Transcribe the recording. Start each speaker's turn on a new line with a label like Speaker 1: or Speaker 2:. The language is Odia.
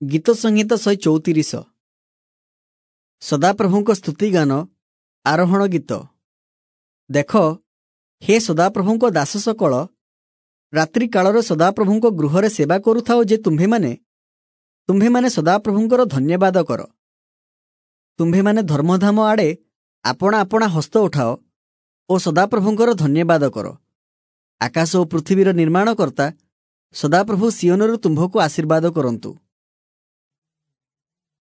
Speaker 1: ଗୀତ ସଂହିତା 134। ସଦାପ୍ରଭୁଙ୍କ ସ୍ତୁତିଗାନ, ଆରୋହଣ ଗୀତ। ଦେଖ, ହେ ସଦାପ୍ରଭୁଙ୍କ ଦାସ ସକଳ, ରାତ୍ରି କାଳରେ ସଦାପ୍ରଭୁଙ୍କ ଗୃହରେ ସେବା କରୁଥାଅ ଯେ ତୁମ୍ଭେମାନେ, ତୁମ୍ଭେମାନେ ସଦାପ୍ରଭୁଙ୍କର ଧନ୍ୟବାଦ କର। ତୁମ୍ଭେମାନେ ଧର୍ମଧାମ ଆଡ଼େ ଆପଣା ଆପଣା ହସ୍ତ ଉଠାଅ ଓ ସଦାପ୍ରଭୁଙ୍କର ଧନ୍ୟବାଦ କର। ଆକାଶ ଓ ପୃଥିବୀର ନିର୍ମାଣକର୍ତ୍ତା ସଦାପ୍ରଭୁ ସିଓନରୁ ତୁମ୍ଭକୁ ଆଶୀର୍ବାଦ କରନ୍ତୁ।